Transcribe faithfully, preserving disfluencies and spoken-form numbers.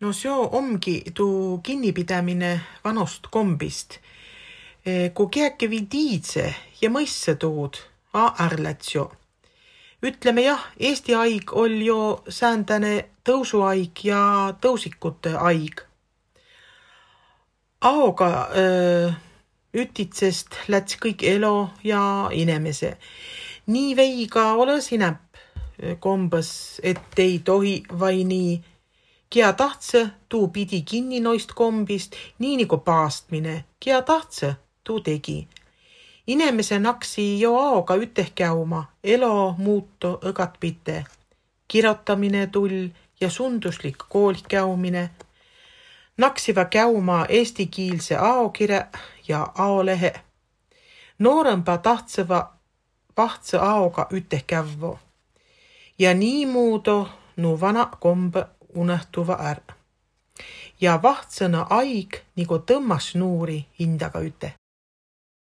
No seo omgi tuu kinnipidämine vanost kombist. Ku kiäki vidiidse ja mõisse tuud, a ärläts jo. Ütleme jah, Eesti aig ol jo säändäne tõusuaig ja tõusikute aig. Aoga öö, ütitsest läts kõik elo ja inemese. Nii veiga olõs inäp kombõs, et ei tohi vai nii. Kia tahtsõ, tuu pidi kinni noist kombist, nii nagu paastmine. Kia tahtsõ, tuu tegi. Inemese naksi jo aoga üteh käuma, elo muuto õgat pite. Kirotamine tull ja sunduslik koolih käumine. Naksiva käuma eestikiilse aokire ja aolehe. Noorõmba tahtsõva vahtsõ aoga üteh kävvo. Ja nii muudo nu vana kombe unehtuva är. Ja vahtsõna aig nagu tõmmas nuuri hindaga üte.